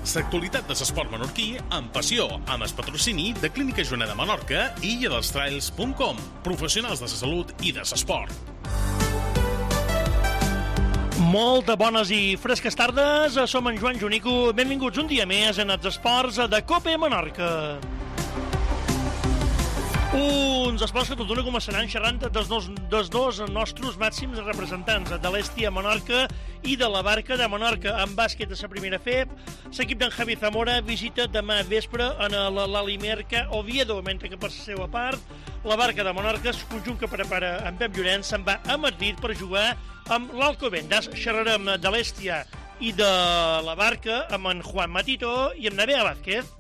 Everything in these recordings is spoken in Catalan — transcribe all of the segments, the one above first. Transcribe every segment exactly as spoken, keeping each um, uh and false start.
L'actualitat de l'esport menorquí amb passió, amb el patrocini de Clínica Joana de Menorca i illadels punt com, professionals de la salut i de l'esport. Molt bones i fresques tardes, som en Joan Junico, benvinguts un dia més en els esports de COPE Menorca. Uns esports que tot d'una començaran xerrant dels dos, dels dos nostres màxims representants, de l'Hèstia Menorca i de la Barca de Menorca. En bàsquet a la primera F E P, l'equip d'en Javi Zamora visita demà vespre en l'Alimerca Oviedo, mentre que per la seva part, la Barca de Menorca, el conjunt que prepara en Pep Llorenç, se'n va a Madrid per jugar amb l'Alcobendas. Xerrarem de l'Hèstia i de la Barca amb en Juan Matito i amb Nerea Vázquez.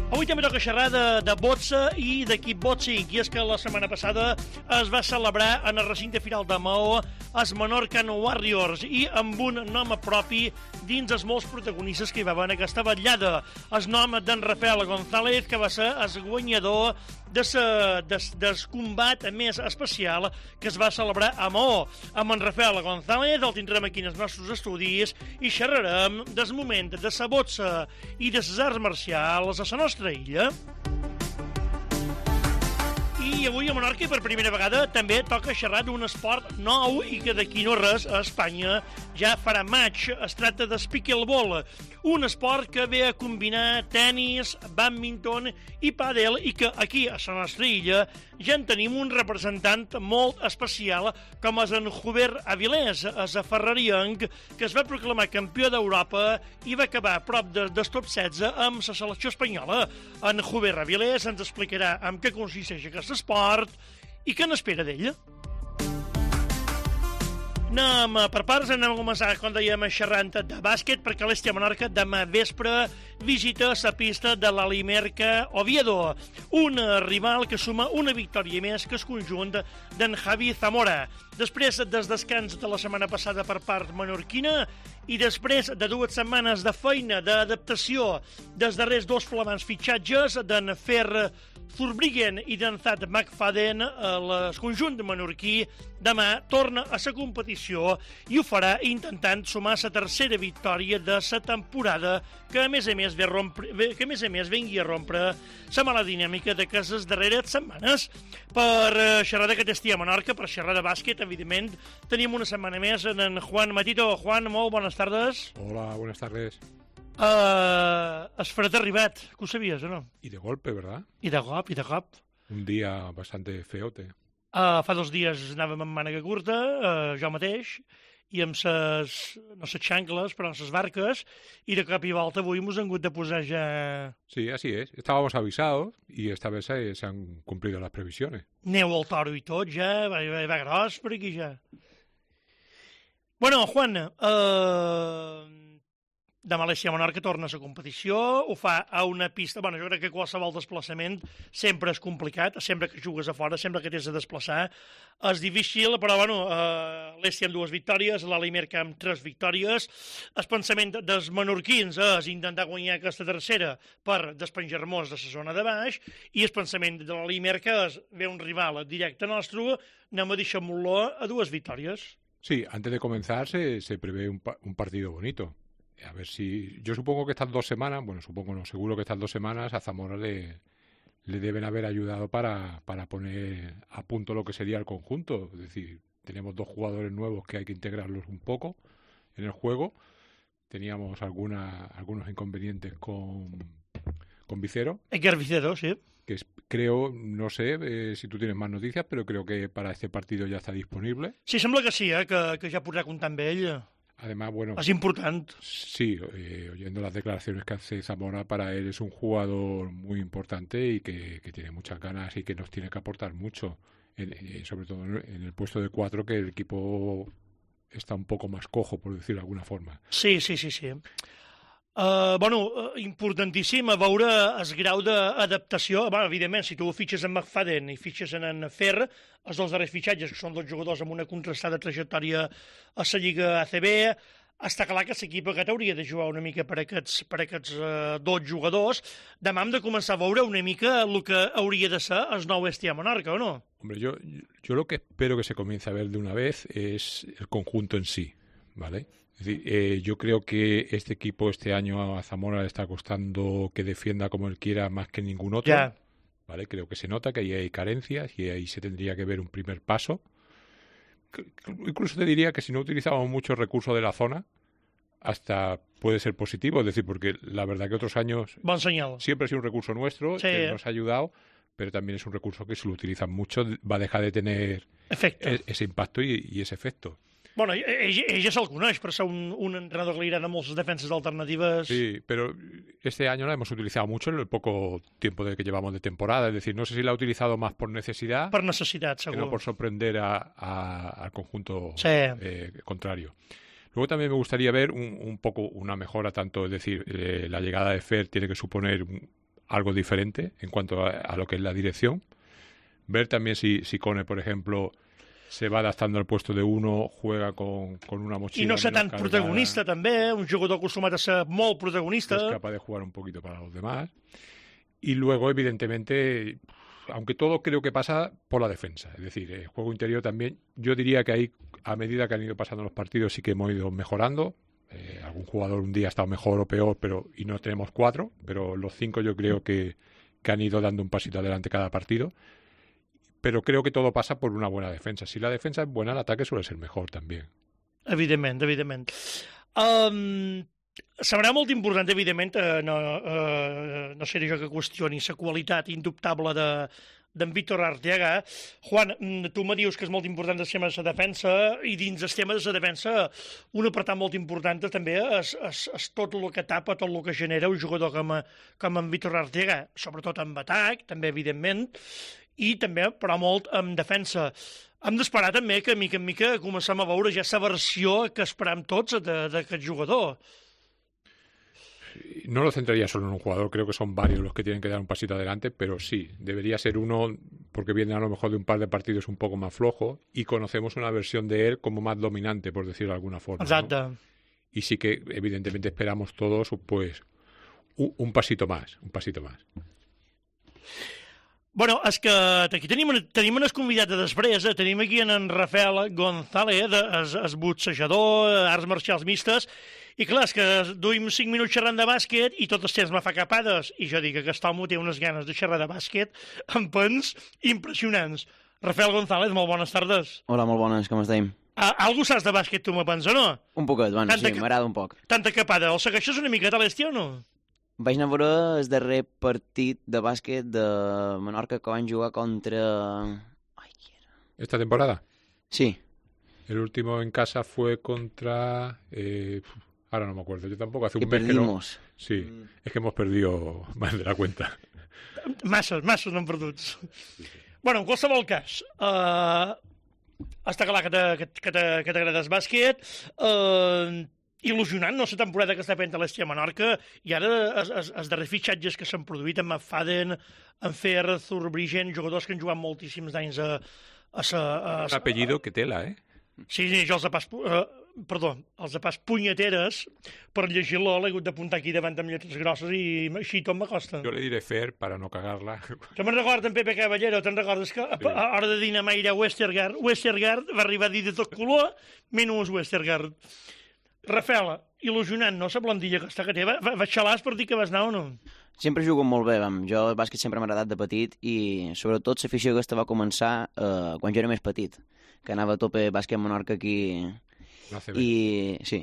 Avui també toca xerrar de, de boxa i d'equip boxing, i és que la setmana passada es va celebrar en el recinte final de Maó els Menorcan Warriors, i amb un nom propi dins els molts protagonistes que hi va haver en aquesta vetllada. El nom d'en Rafael González, que va ser el guanyador de sa, de, del combat més especial que es va celebrar a Maó. Amb en Rafael González el tindrem aquí en els nostres estudis i xerrarem del moment de sa boxa i de les arts marcials a la nostra illa. I avui a Menorca, per primera vegada, també toca xerrar d'un esport nou i que d'aquí no res a Espanya ja farà maig. Es tracta del pickleball, un esport que ve a combinar tennis, bàdminton i pàdel, i que aquí, a la nostra illa, ja en tenim un representant molt especial, com és en Hubert Avilés, és a ferrarienc, que es va proclamar campió d'Europa i va acabar a prop de, del top setze amb la selecció espanyola. En Hubert Avilés ens explicarà en què consisteix aquest esport i què n'espera d'ell. Anem per parts, anem a començar, com dèiem, xerrant de bàsquet, perquè l'Hèstia Menorca demà vespre visita la pista de l'Alimerca Oviedo, un rival que suma una victòria més que el conjunt d'en Javi Zamora. Després del descans de la setmana passada per part menorquina i després de dues setmanes de feina, d'adaptació dels darrers dos flamants fitxatges d'en Fer Zurbriggen i d'en Thad McFadden, el conjunt menorquí demà torna a la competició i ho farà intentant sumar la tercera victòria de la temporada, que a més a més ve rompre, que a més a més vengui a rompre la mala dinàmica d'aquestes darreres setmanes. Per xerrar d'aquest Hèstia Menorca, per xerrar de bàsquet, evidentment, tenim una setmana més en, en Juan Matito. Juan, molt bones tardes. Hola, buenas tardes. Uh, es fred ha arribat, que ho sabies o no? Y de golpe, ¿verdad? I de cop, i de cop. Un día bastante feote. Uh, fa dos dies anàvem amb mànega curta, uh, jo mateix, i amb ses, no ses xancles, però amb ses barques, i de cop i volta avui mos han hagut de posar ja... Sí, así es. Estábamos avisados y esta vez se, se han cumplido las previsiones. Neu al toro i tot, ja, va, va, va gros per aquí ja. Bueno, Juan, uh, demà l'Hèstia Menorca torna a la competició, ho fa a una pista... Bueno, jo crec que qualsevol desplaçament sempre és complicat, sempre que jugues a fora, sempre que t'has de desplaçar. És difícil, però, bueno, eh, l'Hèstia amb dues victòries, l'Alimerca amb tres victòries. El pensament dels menorquins és intentar guanyar aquesta tercera per despenjar-nos de la zona de baix, i el pensament de l'Alimerca és ve un rival directe nostre, anem a deixar-lo a dues victòries. Sí, antes de comenzar se, se prevé un, un partido bonito. A ver si... Yo supongo que estas dos semanas, bueno, supongo no, seguro que estas dos semanas a Zamora le, le deben haber ayudado para, para poner a punto lo que sería el conjunto. Es decir, tenemos dos jugadores nuevos que hay que integrarlos un poco en el juego. Teníamos alguna, algunos inconvenientes con, con Vicero. Edgar Vicero, sí. Que es, creo, no sé eh, si tú tienes más noticias, pero creo que para este partido ya está disponible. Sí, sembla que sí, eh, que, que ja podrà comptar amb ell. Además, bueno... Es important. Sí, eh, oyendo las declaraciones que hace Zamora, para él es un jugador muy importante y que, que tiene muchas ganas y que nos tiene que aportar mucho, en, eh, sobre todo en el puesto de cuatro, que el equipo está un poco más cojo, por decirlo de alguna forma. Sí, sí, sí, sí. Uh, bueno, importantíssim a veure el grau d'adaptació. Bueno, evidentment, si tu fitxes en McFadden i fitxes en en Fer, els dos darrers fitxatges, que són dos jugadors amb una contrastada trajectòria a la Lliga A C B, està clar que l'equip aquest hauria de jugar una mica per aquests, per aquests uh, dos jugadors. Demà hem de començar a veure una mica el que hauria de ser el nou Hèstia Menorca, o no? Hombre, yo, yo lo que espero que se comience a ver de una vez es el conjunto en sí, ¿vale? Es decir, eh, yo creo que este equipo este año a Zamora le está costando que defienda como él quiera más que ningún otro. Ya. ¿Vale? Creo que se nota que ahí hay carencias y ahí se tendría que ver un primer paso. Incluso te diría que si no utilizamos muchos recursos de la zona, hasta puede ser positivo. Es decir, porque la verdad que otros años Bon senyal. siempre ha sido un recurso nuestro, Sí. que nos ha ayudado, pero también es un recurso que si lo utilizan mucho va a dejar de tener Efecte. e- ese impacto y, y ese efecto. Bueno, ell, ell ja se'l coneix per ser un, un entrenador que li agrada moltes defenses alternatives. Sí, pero este año la hemos utilizado mucho en el poco tiempo de que llevamos de temporada. Es decir, no sé si la ha utilizado más por necesidad Per necessitat, que segur. no por sorprender a- a- al conjunto Sí. eh, contrario. Luego también me gustaría ver un, un poco una mejora, tanto, es decir, eh, la llegada de Fer tiene que suponer un- algo diferente en cuanto a, a lo que es la dirección. Ver también si, si Cone, por ejemplo, se va adaptando al puesto de uno, juega con, con una mochila I no ser menos tan cargada, protagonista, també, un jugador acostumat a ser molt es protagonista. capaz de jugar un poquito para los demás. Y luego, evidentemente, aunque todo creo que pasa por la defensa. Es decir, el juego interior también, yo diría que ahí, a medida que han ido pasando los partidos, sí que hemos ido mejorando. Eh, algún jugador un día ha estado mejor o peor, pero y no tenemos cuatro, pero los cinco yo creo que, que han ido dando un pasito adelante cada partido. Pero creo que todo pasa por una buena defensa. Si la defensa es buena, el ataque suele ser mejor también. Evidentment, evidentment. Um, Serà molt important, evidentment, eh, no, eh, no seré jo que qüestioni la qualitat indubtable de d'en Víctor Arteaga. Juan, mm, tu me dius que és molt important el tema de la defensa i dins el tema de la defensa un apartat molt important també és, és, és tot el que tapa, tot el que genera un jugador com, a, com en Víctor Arteaga, sobretot en atac, també evidentment, i també, però molt en defensa. Hem d'esperar també que, mica en mica, comencem a veure ja la versió que esperam tots de- d'aquest jugador. No lo centraría solo en un jugador, creo que son varios los que tienen que dar un pasito adelante, pero sí, debería ser uno, porque viene a lo mejor de un par de partidos un poco más flojo y conocemos una versión de él como más dominante, por decirlo de alguna forma. ¿no? Exacte. Y sí que evidentemente esperamos todos pues un, un pasito más, un pasito más. Bueno, és que aquí tenim, tenim unes convidats de després, eh? Tenim aquí en, en Rafael González, es, es boxejador, arts marcials mistes, i clar, és que duim cinc minuts xerrant de bàsquet i tot el temps me fa capades, i jo dic que aquest home té unes ganes de xerrar de bàsquet amb pens impressionants. Rafael González, molt bones tardes. Hola, molt bones, com estem? A, algú saps de bàsquet tu, me pens, o no? Un poquet, bueno, Tanta sí, que- m'agrada un poc. Tanta capada, el segueixes una miqueta a l'estiu o no? Vaig anar a veure el darrer partit de bàsquet de Menorca que van jugar contra... Ai, qui era? ¿Esta temporada? Sí, El último en casa fue contra... eh, ahora no me acuerdo, yo tampoco, hace que un mes que no... perdimos. Sí, es que hemos perdido más de la cuenta. Masses, masses n'han perduts. Bueno, en qualsevol cas, uh, està clar que t'ha- que, que t'ha- que t'agrada el bàsquet, uh, il·lusionant, no, la temporada que està fent a l'Estia Menorca, i ara els, els, els darrers fitxatges que s'han produït amb McFadden, en Fer, Zurbriggen, jugadors que han jugat moltíssims anys a... a, sa, a, Un apellido que tela, ¿eh? Sí, sí, jo els apàs... Uh, perdó, els apàs punyeteres, per llegir-lo l'he hagut d'apuntar aquí davant amb lletres grosses i així tot m'acosta. Yo le diré Fer para no cagarla. Que me'n recordo en Pepe Caballero, te'n recordes que a, Sí. a hora de dinar mai era Westergaard, Westergaard va arribar a dir de tot color, menys Westergaard. Rafael, il·lusionant, no, la blondilla aquesta que té? Va, va, va xalàs per dir que vas anar o no? Sempre jugo molt bé, vam. Jo el bàsquet sempre m'ha agradat de petit i sobretot l'afició aquesta va començar eh, quan jo era més petit, que anava a tope bàsquet Menorca aquí No hace ver. i sí,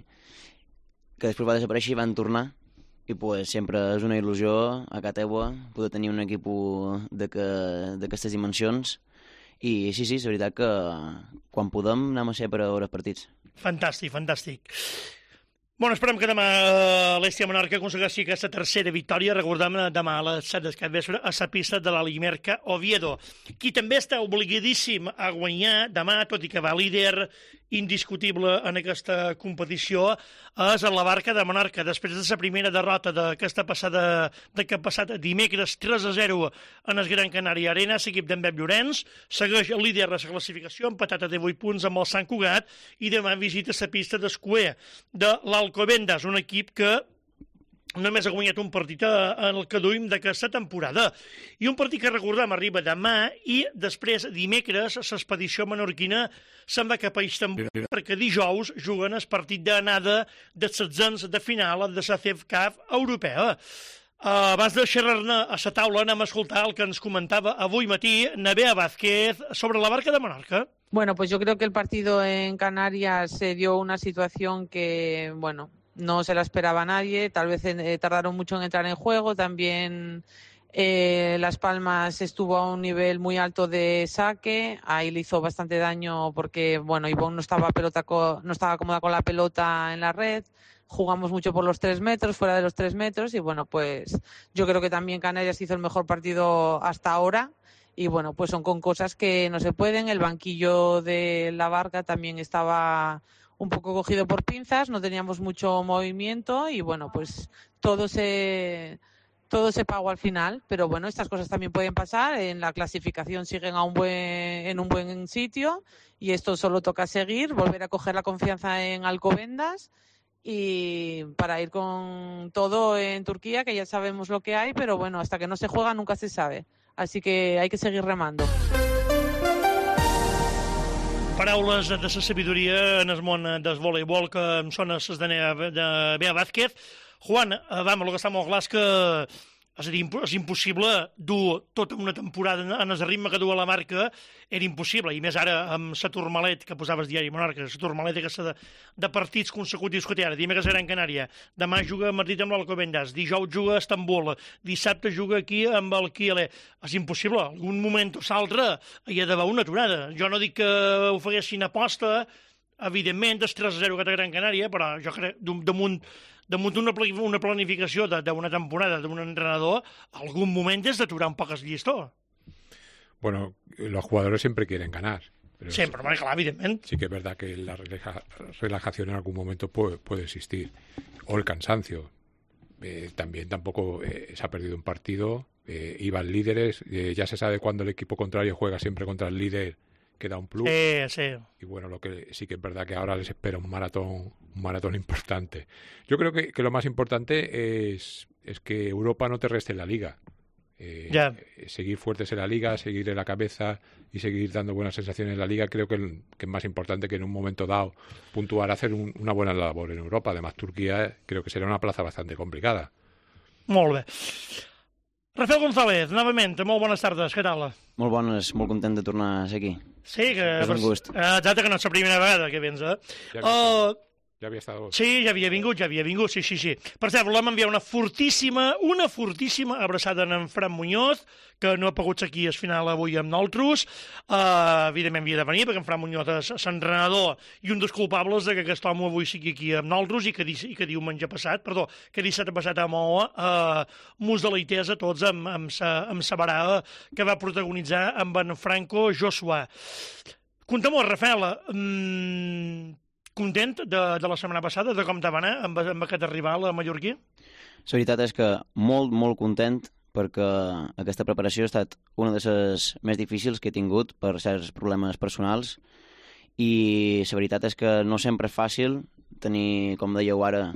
que després va desaparèixer i van tornar i pues, sempre és una il·lusió a casa teua poder tenir un equip d'aquestes dimensions i sí, sí, és veritat que quan podem anem a ser per a veure els partits. Fantàstic, fantàstic. Bueno, esperem que demà eh, l'Estia Menorca aconsegueixi aquesta tercera victòria. Recordem eh, demà a les set del capvespre a la pista de la Limerca Oviedo. Qui també està obligadíssim a guanyar demà, tot i que va líder indiscutible en aquesta competició, és la Barca de Menorca. Després de la primera derrota d'aquesta passada, d'aquest passat dimecres tres a zero en el Gran Canària Arena, l'equip d'en Pep Llorenç segueix el líder de la classificació, empatat a divuit punts amb el Sant Cugat, i demà visita la pista d'Escuer de l'Alcobendas, un equip que només ha guanyat un partit en el que duim d'aquesta temporada. I un partit que recordem arriba demà i després dimecres l'expedició menorquina se'n va cap a Istanbul perquè dijous juguen el partit d'anada dels setzents de final de la C E F C A F europea. Uh, abans de xerrar-ne a la taula anem a escoltar el que ens comentava avui matí Nerea Vázquez sobre la Barca de Menorca. Bueno, pues yo creo que el partido en Canarias se dio una situación que, bueno, no se la esperaba nadie, tal vez eh, tardaron mucho en entrar en juego, también eh, Las Palmas estuvo a un nivel muy alto de saque, ahí le hizo bastante daño porque, bueno, Ivonne no estaba, pelota co- no estaba cómoda con la pelota en la red, jugamos mucho por los tres metros, fuera de los tres metros y, bueno, pues yo creo que también Canarias hizo el mejor partido hasta ahora y, bueno, pues son con cosas que no se pueden, el banquillo de la Barca también estaba un poco cogido por pinzas, no teníamos mucho movimiento y bueno, pues todo se todo se pagó al final, pero bueno, estas cosas también pueden pasar, en la clasificación siguen a un buen en un buen sitio y esto solo toca seguir, volver a coger la confianza en Alcobendas y para ir con todo en Turquía, que ya sabemos lo que hay, pero bueno, hasta que no se juega nunca se sabe, así que hay que seguir remando. Paraules de la sabidoria en el món del voleibol que em sona les de Nerea Vázquez. Juan, vam, el que està molt clar és que és a dir, és impossible dur tota una temporada en el ritme que du a la Barca, era impossible, i més ara amb la Tourmalet que posaves diari Menorca, la Tourmalet aquesta de, de partits consecutius que té ara, dimecres era en Canària, demà juga a Madrid amb l'Alcobendas, dijous juga a Estambul, dissabte juga aquí amb el Kiele. És impossible, algun moment o l'altre hi ha d'haver una aturada. Jo no dic que ho faguessin aposta, evidentment, el tres a zero que té Gran Canària, però jo crec damunt damunt una, una planificació d'una temporada d'un entrenador, algún moment és d'aturar un poc el llistó. Bueno, los jugadores siempre quieren ganar. Pero siempre, sí, claro, evidentemente. Sí que es verdad que la relaja, relajación en algún momento puede, puede existir. O el cansancio. Eh, también tampoco eh, se ha perdido un partido. Eh, iban líderes. Eh, ya se sabe cuando el equipo contrario juega siempre contra el líder, que da un plus. Eh, sí. Y bueno, lo que sí que es verdad que ahora les espera un maratón, un maratón importante. Yo creo que, que lo más importante es, es que Europa no te reste en la liga. Eh, yeah. Seguir fuertes en la liga, seguir en la cabeza y seguir dando buenas sensaciones en la liga, creo que, el, que es más importante que en un momento dado puntuar, hacer un, una buena labor en Europa. Además, Turquía creo que será una plaza bastante complicada. Molt bé. Rafael González, novament, molt bones tardes, què tal? Molt bones, molt content de tornar a ser aquí. Sí, que... És un gust. Exacte, que no és la primera vegada que vens, eh? Ja havia, uh, ja havia estat... Sí, ja havia vingut, ja havia vingut, sí, sí, sí. Per cert, volem enviar una fortíssima, una fortíssima abraçada en Fran Muñoz, que no ha pogut ser aquí al final avui amb nosaltres. Uh, evidentment havia de venir, perquè en Fran Muñoz és l'entrenador i un dels culpables de que aquest home avui sigui aquí amb nosaltres i que, i que diumenge passat, perdó, que dissabte passat a Moa, uh, mos deleités a tots amb, amb, sa, amb sa barada que va protagonitzar amb en Franco Joshua. Contem-ho, Rafael, mm, content de, de la setmana passada, de com te va anar amb, amb aquest rival mallorquí? La veritat és que molt, molt content, perquè aquesta preparació ha estat una de les més difícils que he tingut per certs problemes personals i la veritat és que no sempre és fàcil tenir, com dèieu ara,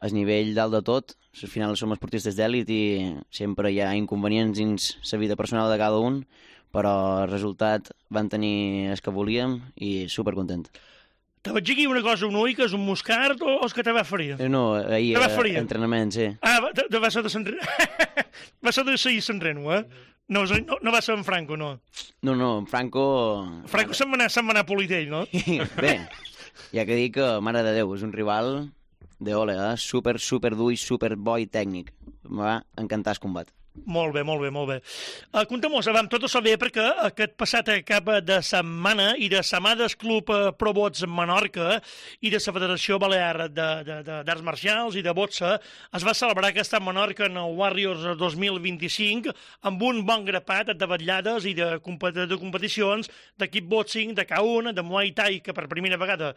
el nivell dalt de tot. Al final som esportistes d'èlit i sempre hi ha inconvenients dins la vida personal de cada un, però el resultat van tenir el que volíem i supercontent. Te vaig dir aquí una cosa, un ull, que és un moscard o, o és que te va ferir? No, ahir era entrenament, sí. Ah, va, de, de va ser de Sant va ser de seguir Sant Reno, eh? No, no, no va ser en Franco, no. No, no, en Franco... Franco se'n va anar, se'n va anar a Politell, no? Bé, ja que dic que, mare de Déu, és un rival de ole, eh? Super, super dur i super bo i tècnic. Em va encantar el combat. Molt bé, molt bé, molt bé. Uh, Contem-nos, vam, tot això bé perquè aquest passat cap de setmana i de setmanes Club uh, Pro Bots Menorca i de la Federació Balear d'Arts Marcials i de Botsa es va celebrar aquesta Menorca en el Warriors dos mil vint-i-cinc amb un bon grapat de vetllades i de, compet de competicions de kickboxing, de K un, de Muay Thai, que per primera vegada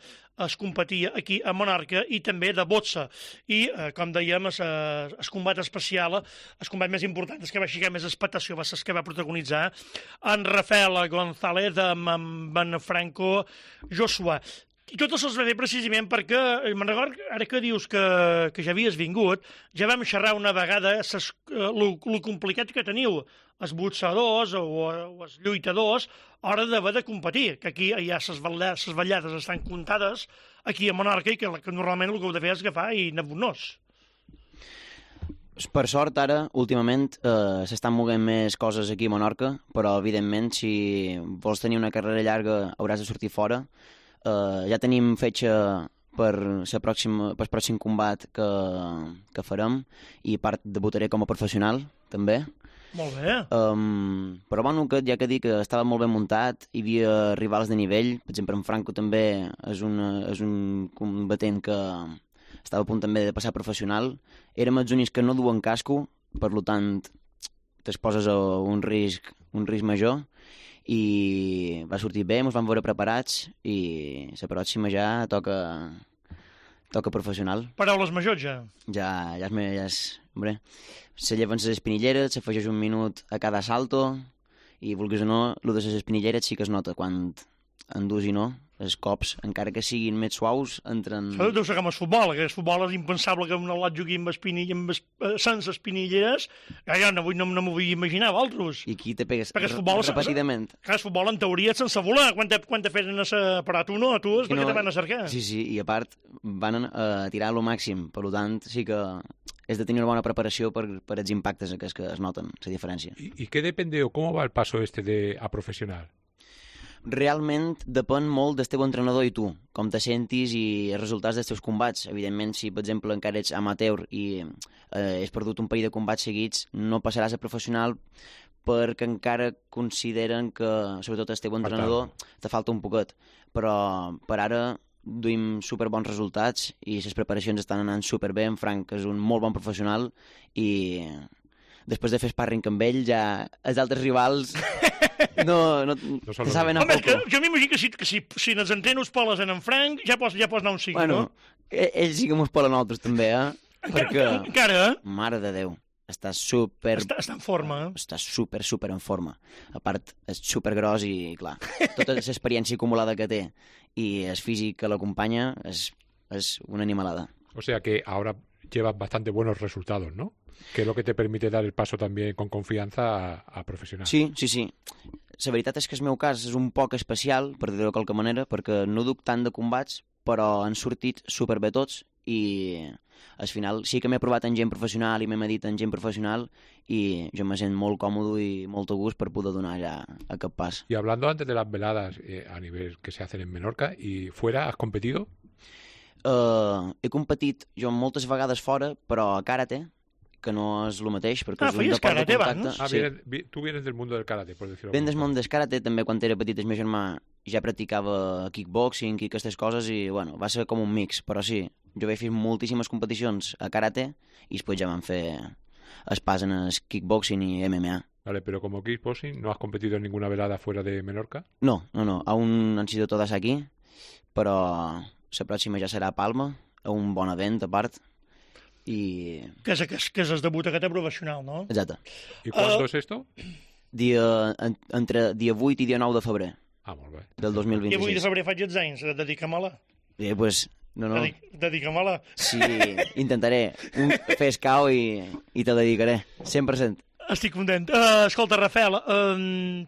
es competia aquí a Menorca, i també de Botsa. I, uh, com dèiem, el combat especial, el combat més important és que va aixecar més expectació, va ser el que va protagonitzar en Rafael González amb, amb en Franco Joshua. I tot això es va fer precisament perquè, me'n record, ara que dius que, que ja havies vingut, ja vam xerrar una vegada el complicat que teniu els boxadors o, o els lluitadors a l'hora d'haver de competir, que aquí ja les ballades, ballades estan comptades aquí a Menorca i que, que normalment el que heu de fer és agafar i anar-vos-nos. Per sort, ara, últimament, eh, s'estan movent més coses aquí a Menorca, però, evidentment, si vols tenir una carrera llarga hauràs de sortir fora. Uh, ja tenim fetge per el pròxim, per pròxim combat que, que farem i part debutaré com a professional, també. Molt bé. Um, però bueno, que, ja que dic que estava molt ben muntat, hi havia rivals de nivell, per exemple, en Franco també és, una, és un combatent que estava a punt també de passar professional. Érem els únics que no duen casco, per tant, t'exposes a un risc, un risc major, i va sortir bé, ens vam veure preparats i la pròxima ja toca toca professional. Paraules majors ja. Ja, ja és... Ja és hombre, se lleven les espinilleres, s'afegeix un minut a cada salto i, vulguis o no, el de les espinilleres sí que es nota quan endús i no. Els cops, encara que siguin més suaus, entren... Això deu ser com el futbol, que el futbol és impensable que un al·lot jugui amb, espinell, amb es, sense espinilleres. Ja, ja no, no, no m'ho vull imaginar, vosaltres. I aquí te pegues futbol, repetidament. Clar, el futbol, en teoria, és sense volar. Quan te, quan te feren a separar tu, no? Tu és perquè no, te van a cercar. Sí, sí, i a part van a tirar lo màxim. Per tant, sí que és de tenir una bona preparació per, per els impactes aquests que es noten, la diferència. ¿Y, y qué depende o cómo va el paso este de a profesional? Realment depèn molt del teu entrenador i tu, com te sentis i els resultats dels teus combats. Evidentment, si, per exemple, encara ets amateur i eh, has perdut un parell de combats seguits, no passaràs a professional perquè encara consideren que, sobretot el teu entrenador, te falta un poquet. Però per ara duim superbons resultats i les preparacions estan anant superbé. En Frank és un molt bon professional i després de fer sparring amb ell, ja els altres rivals no, no, no saben a Home, poco. Que, jo m'imagino que si, que si, si els entrenos poles en en Frank, ja pots, ja pots anar un cinc, bueno, no? Ells sí que mos polen nosaltres també, eh? Perquè, encara, eh? Mare de Déu, està super... Està, està en forma, eh? Està super, super en forma. A part, és super gros i, clar, tota l'experiència acumulada que té i el físic que l'acompanya és, és una animalada. O sea que ahora llevas bastante buenos resultados, ¿no? Que es lo que te permite dar el paso también con confianza a, a profesional. Sí, sí, sí. La veritat és que el meu cas és un poc especial, per dir-ho de qualque manera, perquè no duc tant de combats, però han sortit superbé tots i al final sí que m'he provat en gent professional i m'he medit en gent professional i jo me sent molt còmode i molt a gust per poder donar ja aquest pas. Y hablando antes de las veladas eh, a nivel que se hacen en Menorca, ¿y fuera has competido? Uh, he competit jo moltes vegades fora, però a karate, que no és el mateix, perquè ah, és un deport de contacte. Abans? Ah, sí. vienes, tú vienes del mundo del karate, por decirlo. Ben del món del karate, també quan era petit el meu germà ja practicava kickboxing i aquestes coses i, bueno, va ser com un mix, però sí, jo vaig fer moltíssimes competicions a karate i després ja vam fer el pas en el kickboxing i M M A. Vale, pero como kickboxing, ¿no has competido en ninguna velada fuera de Menorca? No, no, no, aún han sido todas aquí, però la pròxima ja serà a Palma, a un bon event a part. I... Que és, que és, que és el debut aquest professional, no? Exacte. ¿Y cuándo Uh, es esto? Dia, en, entre dia vuit i dia nou de febrer Ah, molt bé. del dos mil I avui de vint-i-sis. febrer faig els anys, dedica-me-la. Eh, pues, no, no. Dedic, dedica-me-la. Sí, intentaré un, fer escau i, i te dedicaré, cent per cent. Estic content. Uh, escolta, Rafael, uh,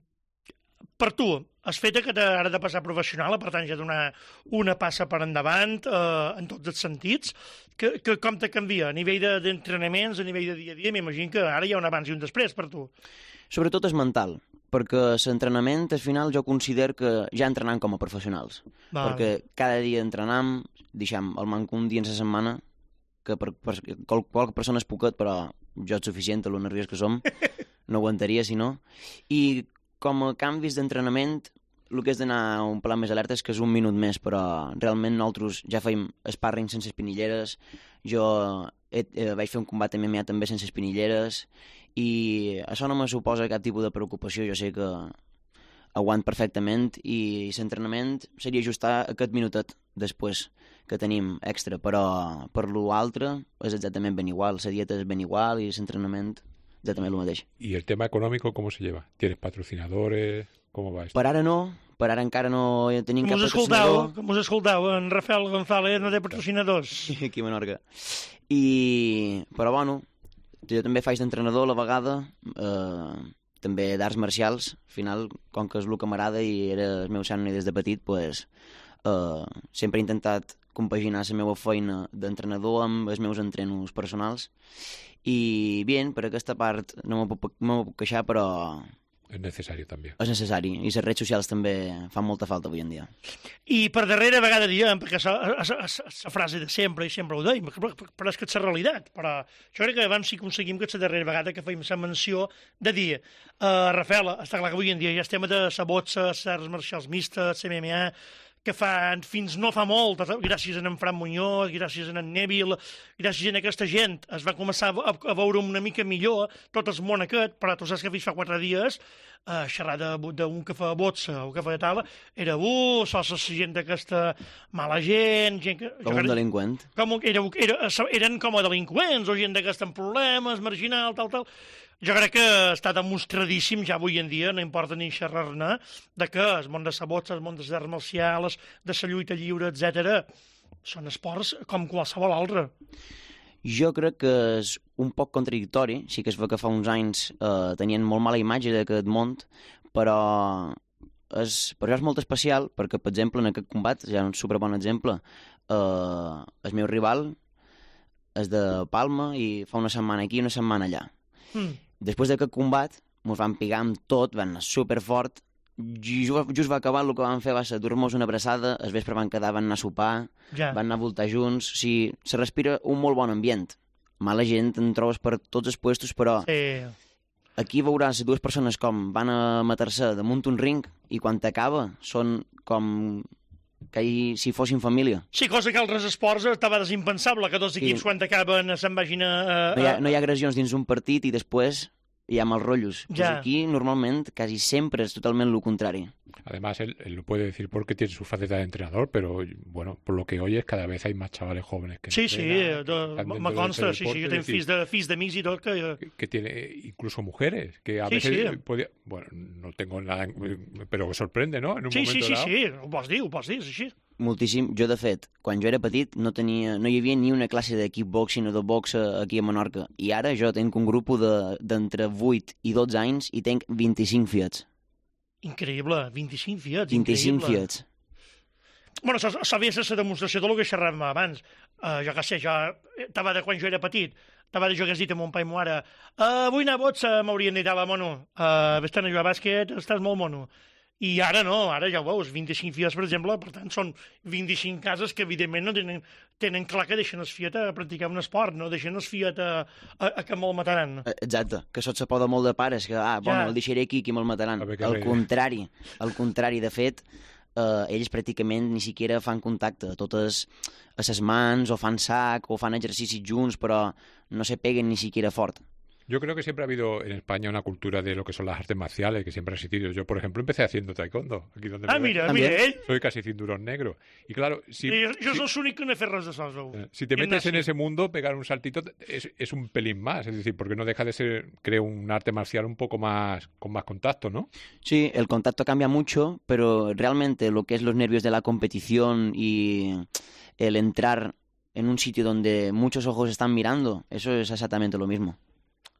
per tu, has fet que ara de passar professional, per tant, ja donar una passa per endavant, uh, en tots els sentits, que, que com te canvia? A nivell d'entrenaments, a nivell de dia a dia, m'imagino que ara hi ha un abans i un després per tu. Sobretot és mental, perquè l'entrenament, al final, jo considero que ja entrenam com a professionals. Val. Perquè cada dia entrenam, deixem el manco un dia en la setmana, que per, per qual, qualque persona és poquet, però jo és suficient, a lo nerviós que som, no aguantaria si no. I com a canvis d'entrenament, el que és d'anar un plat més alerta és que és un minut més, però realment nosaltres ja fèiem sparring sense espinilleres, jo he, eh, vaig fer un combat M M A també sense espinilleres, i això no me suposa cap tipus de preocupació, jo sé que aguant perfectament, i l'entrenament seria ajustar aquest minutet després que tenim extra, però per l'altre és exactament ben igual, la dieta és ben igual i l'entrenament exactament el mateix. ¿Y el tema económico cómo se lleva? ¿Tienes patrocinadores? ¿Cómo va esto? Per ara no, per ara encara no tenim com cap us escoltau, patrocinador. com us escoltau, en Rafael González no té patrocinadors. Aquí a Menorca. I, però bueno, jo també faig d'entrenador a la vegada, eh, també d'arts marcials. Al final, com que és el que m'agrada i era el meu somni des de petit, pues, eh, sempre he intentat compaginar la meva feina d'entrenador amb els meus entrenos personals. I bien, per aquesta part no me puc, no me puc queixar, però és necessari també. És necessari, i les redes socials també fan molta falta avui en dia. I per darrere vegada diem, perquè és la frase de sempre, i sempre ho deim, però, però és que és la realitat. Però jo crec que abans sí que aconseguim que és la darrera vegada que feim la menció de dir, uh, Rafael, està clar que avui en dia ja estem de la boxa, les arts marcials mistes, M M A, que fa, fins no fa molt, gràcies a en Fran Muñoz, gràcies a en Neville, gràcies a aquesta gent, es va començar a, a veure una mica millor tot el món aquest, però tu saps que fins fa quatre dies, eh, xerrar d'un que fa boxa o que fa tal, era, uh, sols la gent d'aquesta mala gent... gent que, com un delinqüent. Com, era, era, eren com a delinqüents o gent d'aquesta amb problemes, marginal, tal, tal... Jo crec que està demostradíssim ja avui en dia, no importa ni xerrar-ne, de que el món de la boxa, el món de les arts marcials, de la lluita lliure, etcètera, són esports com qualsevol altre. Jo crec que és un poc contradictori, sí que es veu que fa uns anys eh, tenien molt mala imatge d'aquest món, però és, però és molt especial, perquè, per exemple, en aquest combat, ja un superbon exemple, eh, el meu rival és de Palma i fa una setmana aquí i una setmana allà. Mm. Després d'aquest combat, ens van pigar amb tot, van anar superfort, just, just va acabar, el que van fer va ser dur-nos una abraçada, el vespre van quedar, van anar a sopar, ja. Van anar a voltar junts, o sigui, se respira un molt bon ambient. Mala gent, en trobes per tots els puestos, però sí. Aquí veuràs dues persones com van a matar-se damunt un ring i quan t'acaba són com que hi, si fossin família. Sí, cosa que altres esports estava desimpensable, que dos equips sí. Quan acaben se'n vagin a... a... No, hi ha, no hi ha agressions dins un partit i després hi ha mals rotllos. Ja. Pues aquí, normalment, quasi sempre és totalment el contrari. Además, él, él lo puede decir porque tiene su faceta de entrenador, pero, bueno, por lo que oyes, cada vez hay más chavales jóvenes que sí, entrenan. Sí, sí, me consta, sí, sí, yo tengo fills de, fills d'amics i tot. Que... que... Que tiene incluso mujeres, que a sí, veces sí. podía... Bueno, no tengo nada, pero sorprende, ¿no? En un sí, momento sí, sí, dado. sí, ho pots dir, ho pots dir, és així. Moltíssim. Jo, de fet, quan jo era petit no tenia, no hi havia ni una classe de kickboxing o de boxa aquí a Menorca. I ara jo tenc un grup d'entre de, vuit i dotze anys i tenc vint-i-cinc fiets. Increïble, vint-i-cinc fiets, vint-i-cinc increïble. fiets. Bueno, això havia de ser la demostració del que xerràvem abans. Uh, jo què sé, jo estava de quan jo era petit, estava de jo que has dit a mon pa i mo ara, uh, vull anar a boxa, m'haurien dit, ala, mono, uh, vés-te'n a jugar a bàsquet, estàs molt mono. I ara no, ara ja ho veus, vint-i-cinc fies, per exemple, per tant, són vint-i-cinc cases que, evidentment, no tenen, tenen clar que deixen el fiat a practicar un esport, no deixen el fiat a, a, a que me'l mataran. Exacte, que això se poda molt de pares, que, ah, bueno, ja. El deixaré aquí, que me'l mataran. Al contrari, al contrari, de fet, eh, ells pràcticament ni siquiera fan contacte, totes a ses mans, o fan sac, o fan exercicis junts, però no se peguen ni siquiera fort. Yo creo que siempre ha habido en España una cultura de lo que son las artes marciales, que siempre ha existido. Yo, por ejemplo, empecé haciendo taekwondo. Aquí donde ah, me mira, mira, eh? Soy casi cinturón negro. Y claro, si... Sí, jo si, soy l'únic que no he fet res de sols. Eh, si te metes en ese mundo, pegar un saltito es, es un pelín más. Es decir, porque no deja de ser, creo, un arte marcial un poco más, con más contacto, ¿no? Sí, el contacto cambia mucho, pero realmente lo que es los nervios de la competición y el entrar en un sitio donde muchos ojos están mirando, eso es exactamente lo mismo.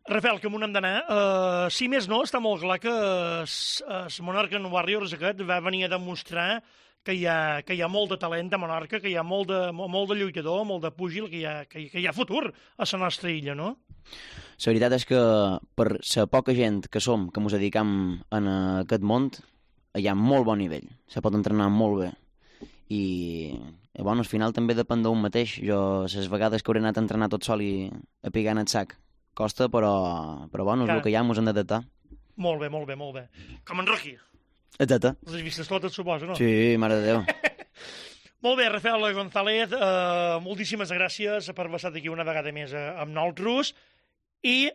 Rafael, que m'ho hem d'anar. Uh, si més no, està molt clar que el Monarcan Warriors aquest va venir a demostrar que hi ha, que hi ha molt de talent a Menorca, que hi ha molt de, molt de lluitador, molt de púgil, que hi ha, que hi, que hi ha futur a la nostra illa, no? La veritat és que per la poca gent que som, que ens dedicam en aquest món, hi ha molt bon nivell. Se pot entrenar molt bé. I, bueno, al final també depèn d'un mateix. Jo, les vegades que hauré anat a entrenar tot sol i a pigar en el sac, costa, però, però bueno, és el que hi ha, ens hem d'adaptar. Molt bé, molt bé, molt bé. Com en Rocky. Exacte. Les has vistes totes, suposo, no? Sí, mare de Déu. Molt bé, Rafael González, uh, moltíssimes gràcies per haver estat aquí una vegada més amb nosaltres i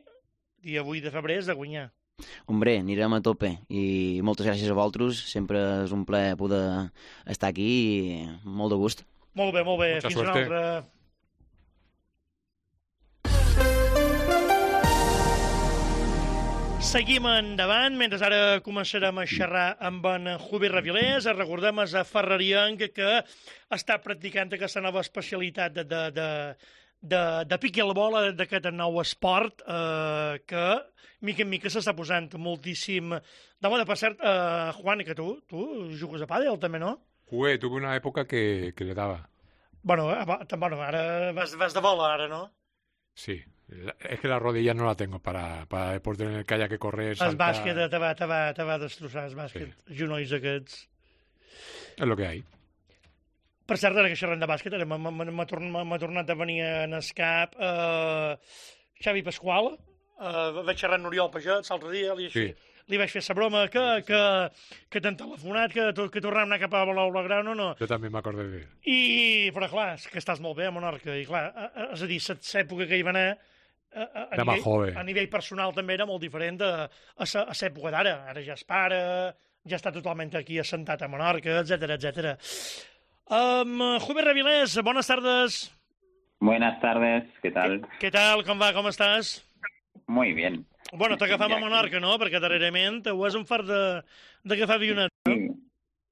dia vuit de febrer és de guanyar. Hombre, anirem a tope i moltes gràcies a vosaltres, sempre és un plaer poder estar aquí i molt de gust. Molt bé, molt bé, Mucha fins suerte. una altra... Seguim endavant, mentre ara començarem a xerrar amb en Javier Ravilés. Recordem a Ferrarienc que està practicant aquesta nova especialitat de, de, de, de, de pickleball, d'aquest nou esport, eh, que mica en mica s'està posant moltíssim de moda. Per cert, eh, Juan, que tu, tu jugues a pàdel també, no? Jugué, tuve una època que, que le daba. Bueno, bueno, ara vas, vas de bola, ara, no? Sí. Es que la rodilla no la tengo para, para deporte en el que haya que correr, saltar... El bàsquet te va, te va, te va destrossar, el bàsquet. Sí. Genolls aquests. És lo que hay. Per cert, ara que xerrem de bàsquet, ara m'ha tornat a venir en escap eh, Xavi Pasqual, eh, vaig xerrar amb Oriol Pagès l'altre dia, li, sí. li vaig fer sa broma que, que, que t'han telefonat, que, que tornàvem a anar cap a Blaugrana o no. Jo també m'acordé de... I, però clar, és que estàs molt bé a Menorca, i clar, és a dir, l'època que hi va anar, A, a, a, nivell, a nivell personal també era molt diferent a, a, a l'època d'ara. Ara ja és pare, ja està totalment aquí assentat a Menorca, etcètera, etcètera. Um, Javier Ravilés, buenas tardes. Buenas tardes, ¿qué tal? ¿Qué, ¿Qué tal? Com va? Com estàs? Muy bien. Bueno, t'agafam a Menorca, ¿no? Perquè darrerament ho és un fart d'agafar avionet, ¿no? Sí.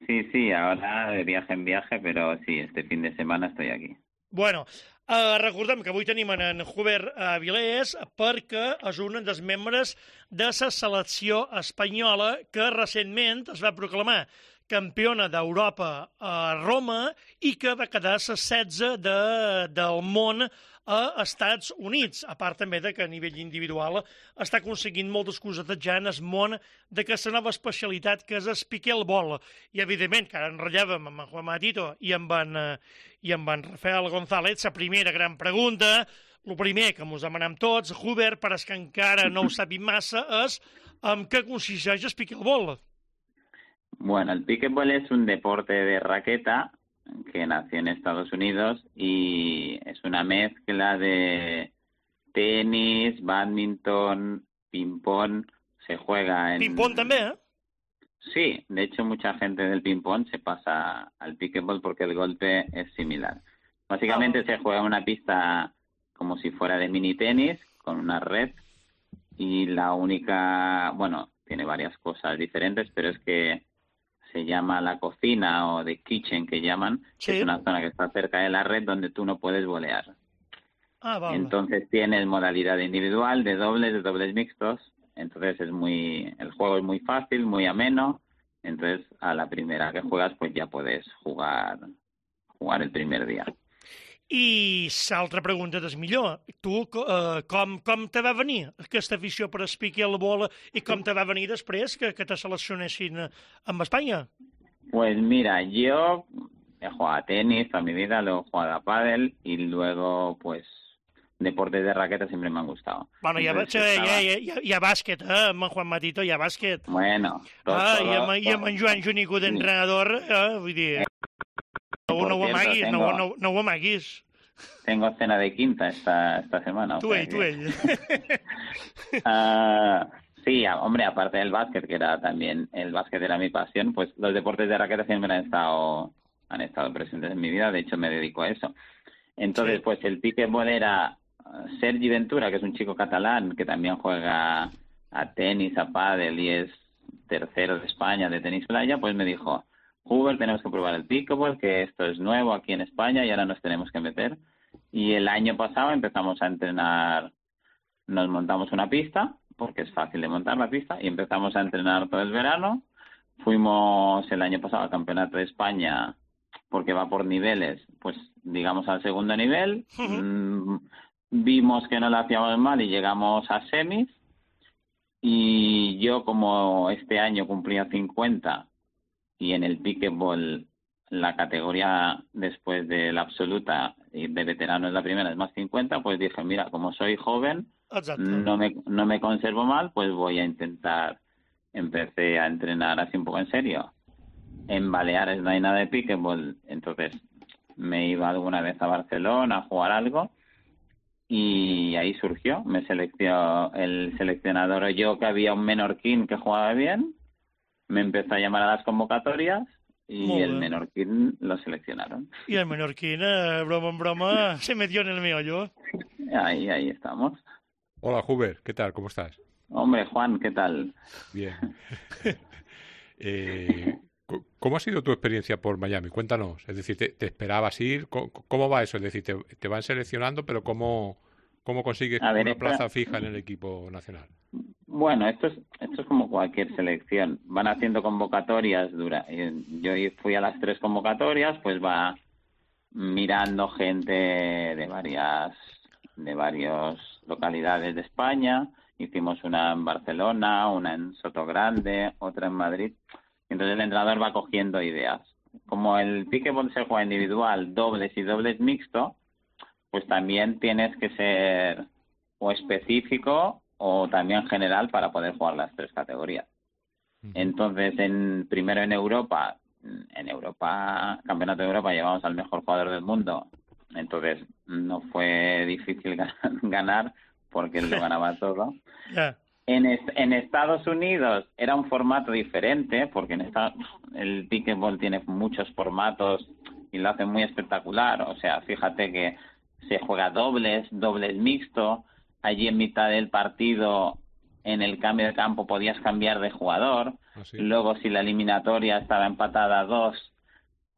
sí, sí, ahora de viaje en viaje, pero sí, este fin de semana estoy aquí. Bueno, Uh, recordem que avui tenim en Javier Avilés perquè és un dels membres de la selecció espanyola que recentment es va proclamar campiona d'Europa a Roma i que va quedar la setze de, del món a Estats Units, a part també de que a nivell individual està aconseguint moltes cosetes ja en el món d'aquesta nova especialitat que és el pickleball. I evidentment que ara enrellàvem amb en Juan Matito i amb en, i amb en Rafael González, la primera gran pregunta, el primer que ens demanem tots, Javier, per als que encara no ho sabim massa, és en què consisteix el pickleball? Bueno, el pickleball es un deporte de raqueta que nació en Estados Unidos y es una mezcla de tenis, badminton, ping-pong, se juega en... Ping-pong también, ¿eh? Sí, de hecho mucha gente del ping-pong se pasa al pickleball porque el golpe es similar. Básicamente oh. se juega en una pista como si fuera de mini tenis, con una red, y la única, bueno, tiene varias cosas diferentes, pero es que se llama la cocina o the kitchen que llaman, sí. que es una zona que está cerca de la red donde tú no puedes volear. Ah, vale. Entonces tienes modalidad individual, de dobles, de dobles mixtos, entonces es muy, el juego es muy fácil, muy ameno, entonces a la primera que juegas pues ya puedes jugar, jugar el primer día. I l'altra pregunta és millor. Tu, eh, com, com te va venir aquesta afició per el pickleball i com te va venir després que, que te seleccionessin amb Espanya? Pues mira, yo he jugado a tenis toda mi vida, luego he jugado a pádel y luego pues deportes de raqueta siempre me han gustado. Bueno, hi ha, estava... hi, ha, hi, ha, hi ha bàsquet, eh? Amb en Juan Matito hi ha bàsquet. Bueno. Tot, ah, todo, i, amb, I amb en Joan Junico d'entrenador, eh? Vull dir... No, no, ho amaguis, tengo, no, no, no ho amaguis. Tengo cena de quinta esta, esta semana. Tú, ell, tú, ell. uh, sí, hombre, aparte del básquet, que era también, el básquet era mi pasión, pues los deportes de raqueta siempre han estado, han estado presentes en mi vida, de hecho me dedico a eso. Entonces, sí. pues el pickleball era Sergi Ventura, que es un chico catalán que también juega a tenis, a pádel y es tercero de España de tenis playa, pues me dijo... Javier, tenemos que probar el pickleball, que esto es nuevo aquí en España y ahora nos tenemos que meter. Y el año pasado empezamos a entrenar, nos montamos una pista, porque es fácil de montar la pista, y empezamos a entrenar todo el verano. Fuimos el año pasado al Campeonato de España, porque va por niveles, pues digamos al segundo nivel. Uh-huh. Mm, vimos que no lo hacíamos mal y llegamos a semis. Y yo, como este año cumplía cincuenta, y en el pickleball la categoría después de la absoluta y de veterano es la primera, es más cincuenta, pues dije, mira, como soy joven, no me, no me conservo mal, pues voy a intentar, empecé a entrenar así un poco en serio. En Baleares no hay nada de pickleball, entonces me iba alguna vez a Barcelona a jugar algo y ahí surgió, me seleccionó el seleccionador, yo que había un menorquín que jugaba bien, me empezó a llamar a las convocatorias y el menorquín lo seleccionaron. Y el menorquín, eh, broma en broma, se metió en el meollo. Ahí, ahí estamos. Hola, Javier, ¿qué tal? ¿Cómo estás? Hombre, Juan, ¿qué tal? Bien. eh, ¿Cómo ha sido tu experiencia por Miami? Cuéntanos. Es decir, ¿te, te esperabas ir? ¿Cómo, ¿Cómo va eso? Es decir, te, te van seleccionando, pero ¿cómo, cómo consigues A ver, una esta- plaza fija en el equipo nacional? Bueno, esto es, esto es como cualquier selección. Van haciendo convocatorias dura. eh, Yo fui a las tres convocatorias, pues va mirando gente de varias, de varias localidades de España. Hicimos una en Barcelona, una en Sotogrande, otra en Madrid. Entonces el entrenador va cogiendo ideas. Como el pickleball se juega individual, dobles y dobles mixto, pues también tienes que ser o específico o también general para poder jugar las tres categorías. Entonces, en primero en Europa, en Europa, Campeonato de Europa, llevamos al mejor jugador del mundo. Entonces, no fue difícil ganar porque él lo ganaba todo. Ja. En, est en Estados Unidos era un formato diferente, porque en esta el pickleball tiene muchos formatos y lo hace muy espectacular. O sea, fíjate que se juega dobles, dobles mixto. Allí en mitad del partido, en el cambio de campo, podías cambiar de jugador. ¿Ah, sí? Luego, si la eliminatoria estaba empatada a dos,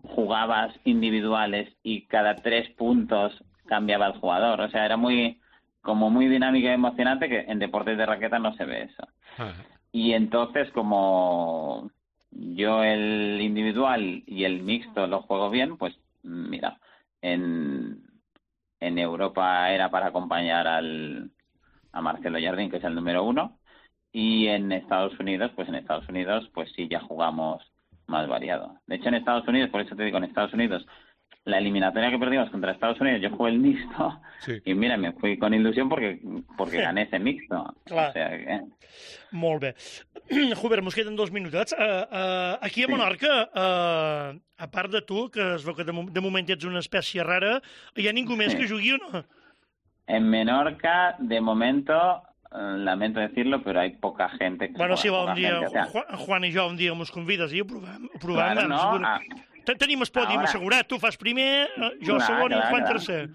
jugabas individuales y cada tres puntos cambiaba el jugador. O sea, era muy como muy dinámico y emocionante, que en deportes de raqueta no se ve eso. Ah, Y entonces, como yo el individual y el mixto lo juego bien, pues mira, en, en Europa era para acompañar al, a Marcelo Jardín, que es el número uno, y en Estados Unidos, pues en Estados Unidos, pues sí, ya jugamos más variado. De hecho, en Estados Unidos, por eso te digo, en Estados Unidos, la eliminatoria que perdimos contra Estados Unidos, yo jugué el mixto, sí. y mira, me fui con ilusión porque porque gané ese mixto. Clar. O sea que... Molt bé. Hubert, mos queden dos minutets. Uh, uh, aquí a Sí. Menorca, uh, a part de tu, que es veu que de, mo- de moment ets una espècie rara, hi ha ningú més Sí. que jugui o no? En Menorca, de momento, eh, lamento decirlo, pero hay poca gente que Bueno, juega, si va poca un dia, gente, o sea, Juan, Juan i jo un dia mos convides i ho provem. Ho provem claro, amb no, segur. ah, Te- Tenim el pòdium ahora- assegurat, tu fas primer, eh, jo Clar, segon i el clar, Juan clar. tercer.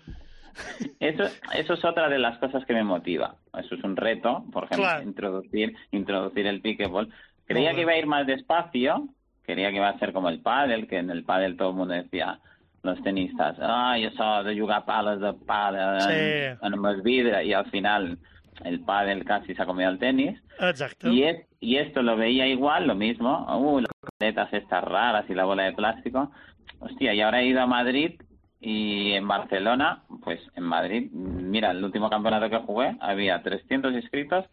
eso, eso es otra de las cosas que me motiva. Eso es un reto, por ejemplo, Claro. introducir introducir el pickleball. Creía Muy que bien. iba a ir más despacio, quería que iba a ser como el pádel, que en el pádel todo el mundo decía, los tenistas, ah, yo soy de jugar palos de pádel Sí. en, en los vidrios, y al final el pádel casi se ha comido el tenis. Exacte. Y, es, y esto lo veía igual, lo mismo. Uh, las paletas estas raras y la bola de plástico. Hostia, y ahora he ido a Madrid y en Barcelona, pues en Madrid, mira, el último campeonato que jugué había trescientos inscritos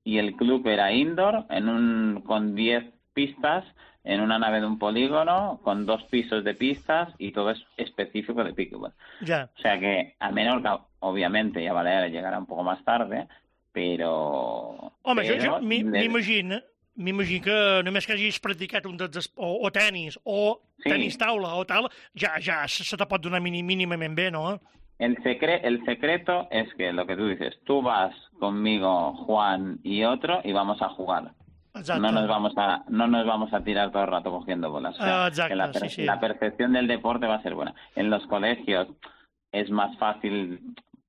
y el club era indoor, en un con diez pistas, en una nave de un polígono, con dos pisos de pistas y todo es específico de pickleball. Ja. O sea que a Menorca, obviamente, y a Baleares llegará un poco más tarde, però... Home, jo, jo però m'i- de- m'imagino m'imagino que només que hagis practicat un dels... es- o, o tenis, o Sí. tenis taula, o tal, ja, ja se se te pot donar mini- mínimament bé, no? El, secre el secreto es que lo que tú dices, tú vas conmigo, Juan y otro, y vamos a jugar. Exacte. No nos vamos a no nos vamos a tirar todo el rato cogiendo bolas. O sea, Ah, exacto, que la, per- sí, sí. la percepción del deporte va a ser buena. En los colegios es más fácil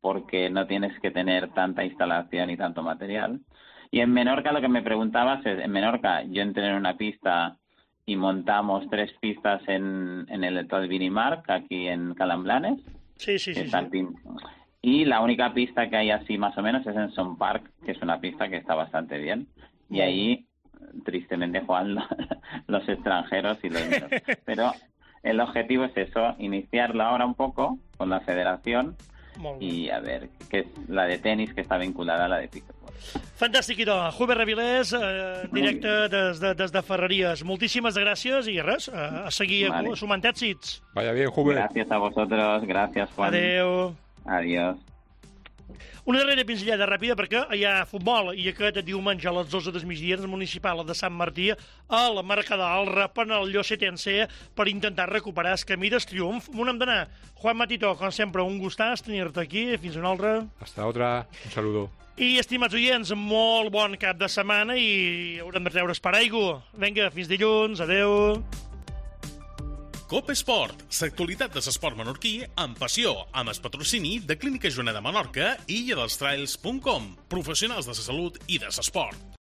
porque no tienes que tener tanta instalación y tanto material. Y en Menorca lo que me preguntabas es, en Menorca yo entré en una pista y montamos tres pistas en, en el Tot Vinimarc, aquí en Calamblanes. Sí, sí, que sí. está sí. el pin- Y la única pista que hay así más o menos es en Son Park, que es una pista que está bastante bien. Y ahí, tristemente, juegan lo- los extranjeros y los menos. Pero el objetivo es eso, iniciarlo ahora un poco con la federación Molt bé. y a ver, que es la de tenis que está vinculada a la de pickleball. Fantàstic, idò. Hubert Avilés, eh, en directe des de, des de Ferreries. Moltíssimes gràcies i res, a, a seguir Vale. sumant èxits. Vaya bien, Hubert. Gracias a vosotros, gracias Juan. Adeu. Adiós. Una darrera pinzellada ràpida perquè hi ha futbol i aquest diumenge a les dues del migdia el municipal de Sant Martí a la Mercadal repen el Llosetense per intentar recuperar el camí del triomf. On hem d'anar? Juan Matito, com sempre, un gustàs tenir-te aquí. Fins una altra. Hasta otra. Un saludo. I, estimats oients, molt bon cap de setmana i haurem de treure per aigua. Vinga, fins dilluns. Adeu. Cope Esport, l'actualitat de l'esport menorquí amb passió, amb el patrocini de Clínica Joana de Menorca i illa dels trails punt com, professionals de la salut i de l'esport.